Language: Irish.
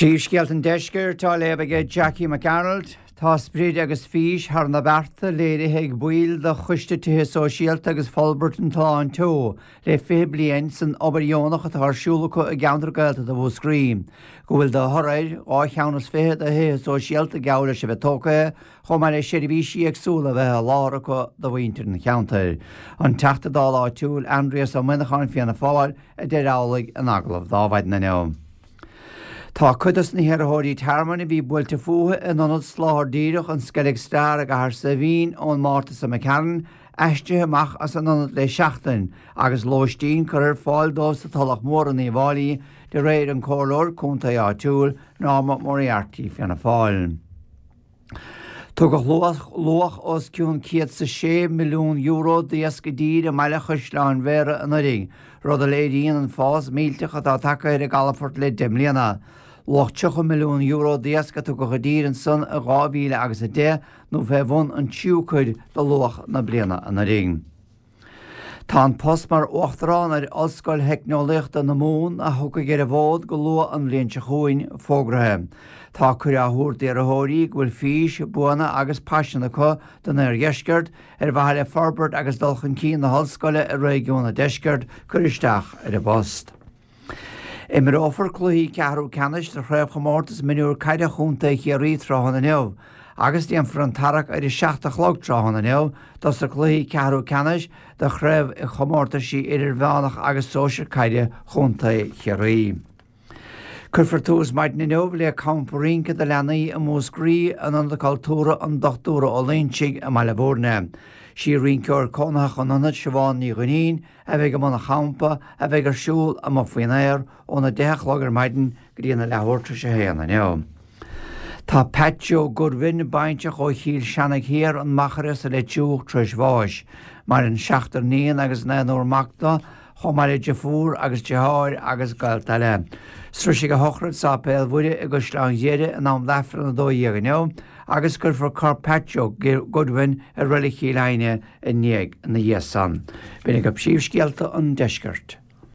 Príomhscéalta an Deiscirt á léamh aige Jackie Mac Gearailt. Tá sprid agus fís thar na bearta léirithe ag baill de Choiste Tithe Sóisialta agus Forbairt an tSuláin Teo le 20 bliain san obair dheonach atá ar siúl acu i gceantar Gaeltachta Mhúscraí, go bhfuil de thoradh air dhá cheann is fiche de thithe sóisialta geall leis a bheith tógtha, chomh maith le seirbhísí éagsúla a bheith á sholáthar acu do mhuintir an cheantair. An Teachta Dála áitiúil, Aindrias Ó Muineacháin, Fianna Fáil, a deir amhlaidh in agallamh dó maidin inniu. Tá cuid dos na hiarrthóirí tearmainn a bhí buailte fúthu in ionad Soláthar Díreach an Skellig Star i gCathair Saidhbhín ón Márta seo imigh tharainn aistrithe amach as an ionad le seachtain agus lóistín curtha ar fáil dóibh sa Tulach Mhór in Uíbh Fháilí de réir an comhairleoir contae áitiúil Norma Moriarty Fianna Fáil. Tugadh luach os cionn €106 milliún d'iasc i dtír i mbaile Chaisleáin Bhéarra anuraidh, rud a léiríonn an fás millteach atá tagtha ar an gcalafort le 10 mbliana. Luach €30 milliún d'iasc a tugadh i dtír ansan i 2000 agus 10, nó fé bhun an tríú cuid de luach na bliana anuraidh. Tá an post mar Uachtarán ar Ollscoil Theicneolaíochta na Mumhan, a thiocfaidh ar an bhfód go luath an bhliain seo chugainn, fógraithe. Tá cuireadh á thabhairt d'iarrthóirí go bhfuil fís, buanna agus paisean acu don Oirdheisceart ar mhaithe le forbairt agus dul chun cinn na hollscoile i réigiún an deiscirt cur isteach ar an bpost. Imreofar cluichí ceathrú ceannais de Chraobhchomórtas Mionúr Caide Chontae Chiarraí tráthnóna inniu agus déanfar an tarrac ar a 7 a chlog tráthnóna inniu dos na cluichí ceathrú ceannais de Chraobhchomórtaisí Idirmheánach agus Sóisir Caide Chontae Chiarraí. Cuirfear tús maidin inniu le campa rince do leanaí i Múscraí in Ionad Cultúrtha an Dochtúra Ó Loingsigh i mBaile Bhúirne. Sí rinceoir cónaitheach an ionaid Siobhán Ní Dhuinnín a bheidh i mbun an champa, a bheidh ar siúl amuigh faoin aer óna 10 a chlog ar maidin go dtí an leathuair tar éis a haon inniu. Tá Pat Joe Goodwin, baintreach ó Chill Seanaigh Thiar, An Machaire sa Leitriúch tar éis bháis. Maireann seachtar níon agus naonúr mac dó, chomh maith le deirfiúr agus deartháir agus gaolta eile. Sroisfidh a shochraid Sáipéal Mhuire i gCaisleán Ghriaire in am d'Aifreann 12 inniu agus cuirfear corp Pat Joe Goodwin i Reilig Chill Aidhne i ndiaidh ina dhiaidh san. B'in agaibh príomhscéalta an deiscirt.